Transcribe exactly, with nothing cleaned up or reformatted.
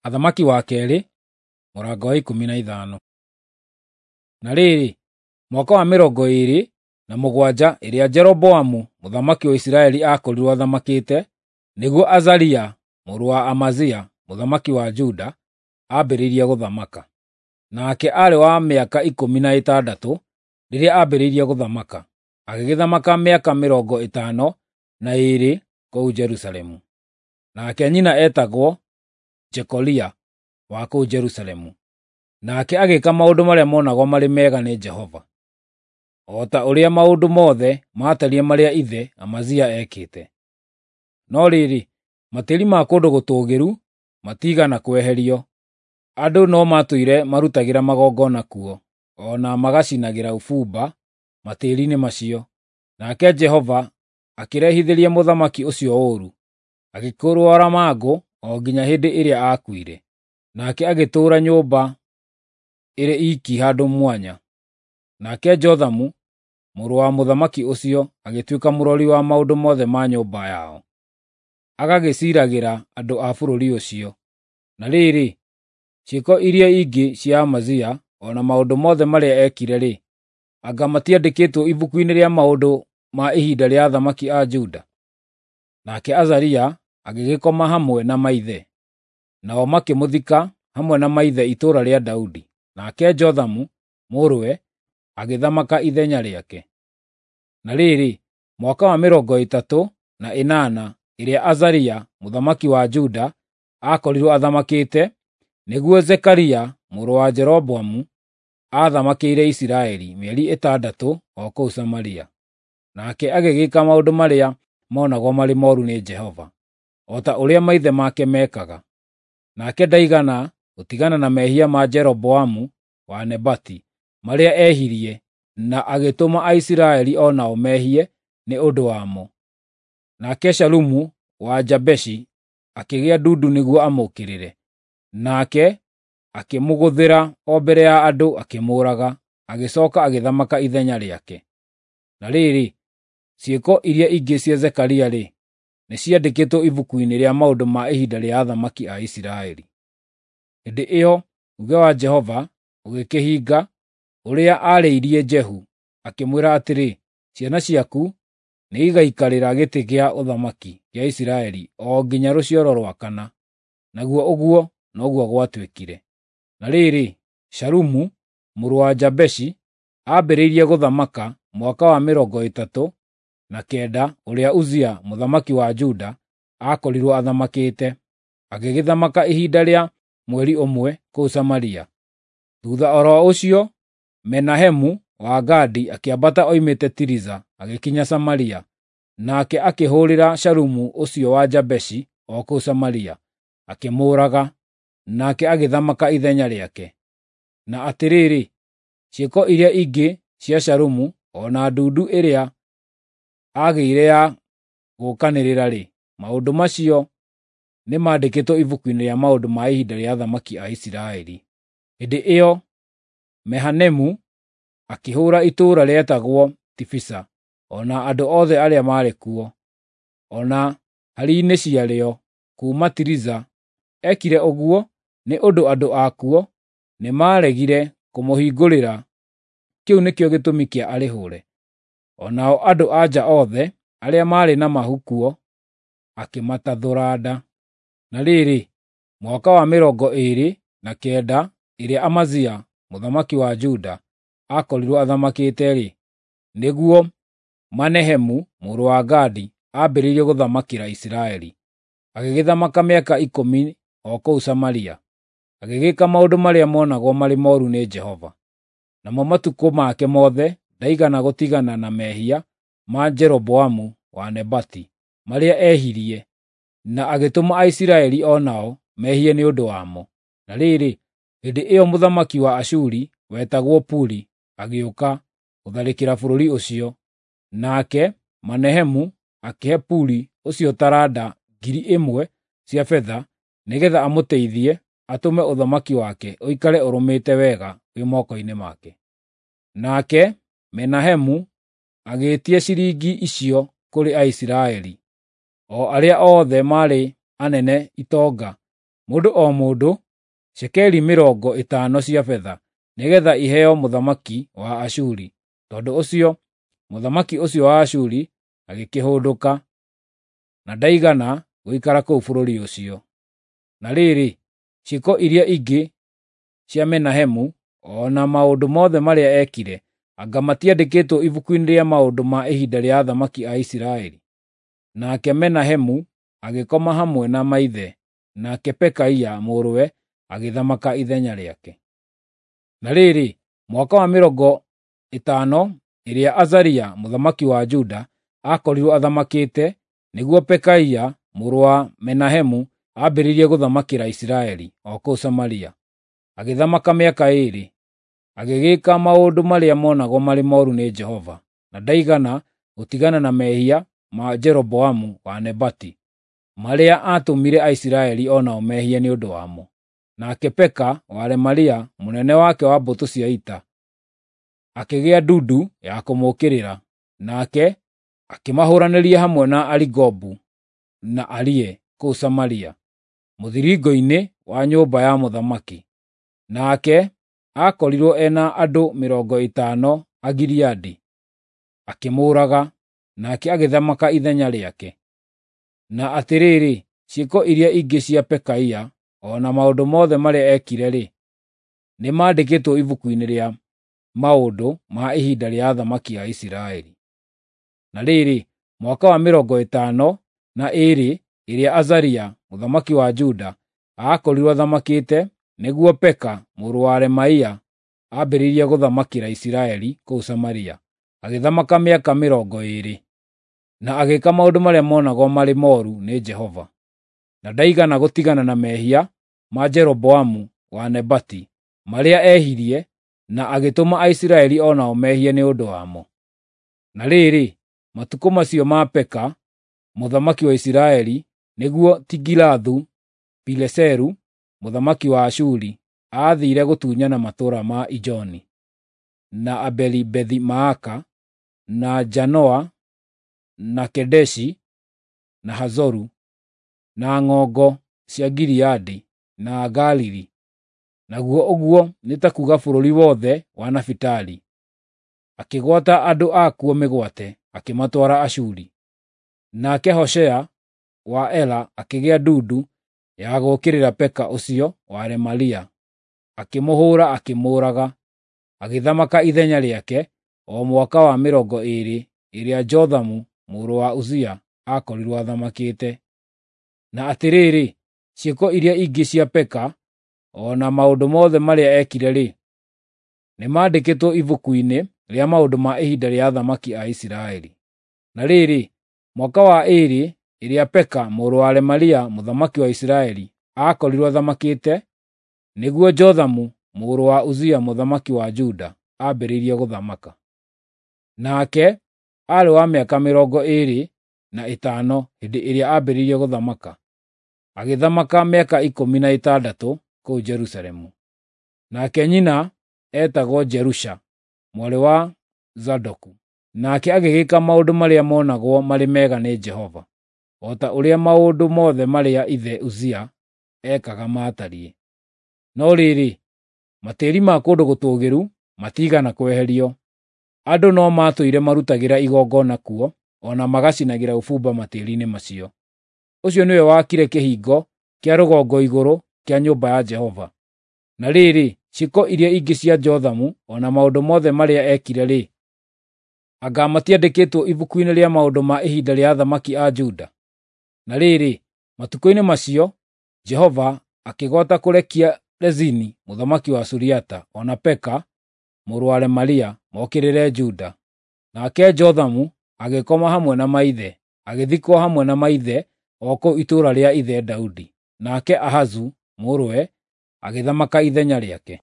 Athamaki wa Keerĩ, mũrango wa ikũmi na ithano. Na rĩrĩ, mwaka wa mĩrongo ĩĩrĩ na mũgwanja ĩrĩa Jeroboamu mũthamaki wa Isiraeli aakorirwo athamakĩte, nĩguo Azaria mũrũ wa Amazia mũthamaki wa Juda aambĩrĩirie gũthamaka. Nake aarĩ wa mĩaka ikũmi na ĩtandatũ rĩrĩa aambĩrĩirie gũthamaka, agĩgĩthamaka mĩaka mĩrongo ĩtano na ĩĩrĩ kũu Jerusalemu. Nake nyina eetagwo Jekolia wa kũu Jerusalemu. Nake agĩĩka maũndũ marĩa monagwo marĩ mega nĩ Jehova, o ta ũrĩa maũndũ mothe maatariĩ marĩa ithe Amazia eekĩte. No rĩrĩ, matĩri ma kũndũ gũtũũgĩru matiigana kweherio, andũ no maatũire marutagĩra magongona kuo, o na magacinagĩra ũbumba matĩri-inĩ macio. Nake Jehova akĩrehithĩria mũthamaki ũcio ũũru, agĩkĩrwara mangũ o nginya hĩndĩ ĩrĩa aakuire. Nake agĩtũũra nyũmba ĩrĩ iiki handũ mwanya. Nake Jothamu mũrũ wa mũthamaki ũcio agĩtuĩka mũrori wa maũndũ mothe ma nyũmba yao, agagĩciiragĩra andũ a bũrũri ũcio. Na rĩrĩ, ciĩko iria ingĩ cia Amazia, o na maũndũ mothe marĩa eekire-rĩ, anga matiandĩkĩtwo ibuku-inĩ rĩa maũndũ ma ihinda rĩa athamaki a Juda? Nake Azaria agĩgĩkoma hamwe na maithe, nao makĩmũthika hamwe na maithe itũũra rĩa Daudi. Nake Jothamu mũrũwe agĩthamaka ithenya rĩake. Na rĩrĩ, mwaka wa mĩrongo ĩtatũ na ĩnana ĩrĩa Azaria mũthamaki wa Juda aakorirwo athamakĩte, nĩguo Zekaria mũrũ wa Jeroboamu aathamakĩire Isiraeli mĩeri ĩtandatũ o kũu Samaria. Nake agĩgĩka maũndũ marĩa monagwo marĩ mooru nĩ Jehova, o ta ũrĩa maithe make meekaga. Nake ndaigana gũtigana na mehia ma Jeroboamu wa Nebati marĩa ehirie na agĩtũma Aisiraeli o nao mehie nĩ ũndũ wamo. Nake Shalumu wa Jabeshi akĩgĩa ndundu nĩguo amũũkĩrĩre, nake akĩmũgũthĩra o mbere ya andũ akĩmũũraga, agĩcooka agĩthamaka ithenya rĩake. Na rĩrĩ, ciĩko iria ingĩ cia Zekaria-rĩ, nĩciandĩkĩtwo ibuku-inĩ rĩa maũndũ ma ihinda rĩa athamaki a Isiraeli. Hĩndĩ ĩyo uuge wa Jehova ũgĩkĩhinga ũrĩa aarĩirie Jehu, akĩmwĩra atĩrĩ, “Ciana ciaku nĩigaikarĩra gĩtĩ kĩa ũthamaki kĩa Isiraeli o nginya rũciaro rwa kana.” Naguo ũguo noguo gwatuĩkire. Na rĩrĩ, Shalumu mũrũ wa Jabeshi aambĩrĩirie gũthamaka mwaka wa mĩrongo ĩtatũ na kenda ũrĩa Uzia mũthamaki wa Juda aakorirwo athamakĩte, agĩgĩthamaka ihinda rĩa mweri ũmwe kũu Samaria. Thuutha o ro ũcio Menahemu wa Gadi akĩambata oimĩte Tiriza agĩkinya Samaria, nake akĩhũũrĩra Shalumu ũcio wa Jabeshi o kũu Samaria, akĩmũũraga, nake agĩthamaka ithenya rĩake. Na atĩrĩrĩ, ciĩko iria ingĩ cia Shalumu, o na ndundu ĩrĩa aagĩire ya gũũkanĩrĩra-rĩ, maũndũ macio nĩmandĩkĩtwo ibuku-inĩ rĩa maũndũ ma ihinda rĩa athamaki a Isiraeli. Hĩndĩ ĩyo Mehanemu akĩhũũra itũũra rĩetagwo Tifisa, o na andũ othe arĩa maarĩ kuo, o na hari-inĩ ciarĩo, kuuma Tiriza. Eekire ũguo nĩ ũndũ andũ akuo nĩmaregire kũmũhingũrĩra. Kĩu nĩkĩo gĩtũmi kĩa arĩhũũre. O nao andũ-a-nja othe arĩa maarĩ na mahu kuo akĩmatathũra nda. Na rĩrĩ, mwaka wa mĩrongo ĩĩrĩ na kenda ĩrĩa Amazia mũthamaki wa Juda aakorirwo athamakĩte-rĩ, nĩguo Menahemu mũrũ wa Gadi aambĩrĩirie gũthamakĩra Isiraeli. Agĩgĩthamaka mĩaka ikũmi o kũu Samaria, agĩgĩka maũndũ marĩa monagwo marĩ mooru nĩ Jehova. Namo matukũ make mothe ndaigana gũtigana na mehia ma Jeroboamu wa Nebati marĩa ehirie, na agĩtũma Aisiraeli o nao mehie nĩ ũndũ wamo. Na rĩrĩ, hĩndĩ ĩyo mũthamaki wa Ashuri wetagwo Puli agĩũka gũtharĩkĩra bũrũri ũcio, nake Menahemu akĩhe Puli ũcio taranda ngiri ĩmwe cia betha nĩgeetha amũteithie atũme ũthamaki wake ũikare ũrũmĩte wega wĩ moko-inĩ make. Nake Menahemu agĩĩtia ciringi icio kũrĩ Aisiraeli, o arĩa othe maarĩ anene itonga mũndũ o mũndũ, cekeri mĩrongo ĩtano cia betha, nĩgeetha iheo mũthamaki wa Ashuri. Tondũ ũcio mũthamaki ũcio wa Ashuri agĩkĩhũndũka, na ndaigana gũikara kũu bũrũri ũcio. Na rĩrĩ, ciĩko iria ingĩ cia Menahemu, o na maũndũ mothe marĩa eekire, anga matiandĩkĩtwo ibuku-inĩ rĩa maũndũ ma ihinda rĩa athamaki a Isiraeli? Nake Menahemu agĩkoma hamwe na maithe, nake Pekaia mũrũwe agĩthamaka ithenya rĩake. Na rĩrĩ, mwaka wa mĩrongo ĩtano ĩrĩa Azaria mũthamaki wa Juda aakorirwo athamakĩte, nĩguo Pekaia mũrũ wa Menahemu aambĩrĩirie gũthamakĩra Isiraeli o kũu Samaria. Agĩthamaka mĩaka ĩĩrĩ. Agĩgĩĩka maũndũ marĩa monagwo marĩ mooru nĩ Jehova, na ndaigana gũtigana na mehia ma Jeroboamu wa Nebati, marĩa aatũmire Aisiraeli o nao mehie nĩ ũndũ wamo. Nake Peka wa Remalia, mũnene wake wa mbũtũ cia ita, akĩgĩa ndundu ya kũmũũkĩrĩra, nake akĩmahũũranĩria hamwe na Arigobu na Arie kũu Samaria, mũthiringo-inĩ wa nyũmba ya mũthamaki. Nake aakorirwo ena andũ mĩrongo ĩtano a Gileadi, akĩmũũraga, nake agĩthamaka ithenya rĩake. Na atĩrĩrĩ, ciĩko iria ingĩ cia Pekaia, o na maũndũ mothe marĩa eekire-rĩ, nĩmandĩkĩtwo ibuku-inĩ rĩa maũndũ ma ihinda rĩa athamaki a Isiraeli. Na rĩrĩ, mwaka wa mĩrongo ĩtano na ĩĩrĩ ĩrĩa Azaria mũthamaki wa Juda aakorirwo athamakĩte, nĩguo Peka mũrũ wa Remalia aambĩrĩirie gũthamakĩra Isiraeli kũu Samaria. Agĩthamaka mĩaka mĩrongo ĩĩrĩ, na agĩĩka maũndũ marĩa monagwo marĩ mooru nĩ Jehova. Na ndaigana gũtigana na mehia ma Jeroboamu wa Nebati, marĩa ehirie na agĩtũma Aisiraeli o nao mehie nĩ ũndũ wamo. Na rĩrĩ, matukũ macio ma Peka mũthamaki wa Isiraeli, nĩguo Tigilathu-Pileseru mũthamaki wa Ashuri aathiire gũtunyana matũũra ma Ijoni, na Abeli-Bethi-Maaka, na Janoa, na Kedeshi, na Hazoru, na ng'ongo cia Gileadi, na Galili, naguo ũguo nĩ ta kuuga bũrũri wothe wa Nafitali. Akĩgwata andũ akuo mĩgwate, akĩmatwara Ashuri. Nake Hoshea wa Ela akĩgĩa ndundu ya gũũkĩrĩra Peka ũcio wa Remalia, akĩmũhũũra akĩmũũraga, agĩthamaka ithenya rĩake o mwaka wa mĩrongo ĩĩrĩ ĩrĩa Jothamu mũrũ wa Uzia aakorirwo athamakĩte. Na atĩrĩrĩ, ciĩko iria ingĩ cia Peka, o na maũndũ mothe marĩa eekire-rĩ, nĩmandĩkĩtwo ibuku-inĩ rĩa maũndũ ma ihinda rĩa athamaki a Isiraeli. Na rĩrĩ, mwaka wa ĩĩrĩ ĩrĩa Peka mũrũ wa Remalia mũthamaki wa Isiraeli aakorirwo athamakĩte, nĩguo Jothamu mũrũ wa Uzia mũthamaki wa Juda aambĩrĩirie gũthamaka. Nake aarĩ wa mĩaka mĩrongo ĩĩrĩ na ĩtano hĩndĩ ĩrĩa aambĩrĩirie gũthamaka, agĩthamaka mĩaka ikũmi na ĩtandatũ kũu Jerusalemu. Nake nyina eetagwo Jerusha mwarĩ wa Zadoku. Nake agĩgĩka maũndũ marĩa monagwo marĩ mega nĩ Jehova, o ta ũrĩa maũndũ mothe marĩa ithe Uzia ekaga maatariĩ. No rĩrĩ, matĩĩri ma kũndũ gũtũũgĩru matiigana kweherio. Andũ no maatũire marutagĩra igongona kuo, o na magacinagĩra ũbumba matĩĩri-inĩ macio. Ũcio nĩwe waakire kĩhingo kĩa rũgongo igũrũ kĩa nyũmba ya Jehova. Na rĩrĩ, ciĩko iria ingĩ cia Jothamu o na maũndũ mothe marĩa eekire-rĩ, anga matiandĩkĩtwo ibuku-inĩ rĩa maũndũ ma ihinda rĩa athamaki a Juda? Na rĩrĩ, matukũ-inĩ macio Jehova akĩgwata kũrekia Rezini mũthamaki wa Suriata o na Peka mũrũ wa Remalia mokĩrĩre Juda. Nake Jothamu agĩkoma hamwe na maithe, agĩthikwo hamwe na maithe o kũu itũũra rĩa ithe Daudi. Nake Ahazu mũrũwe agĩthamaka ithenya rĩake.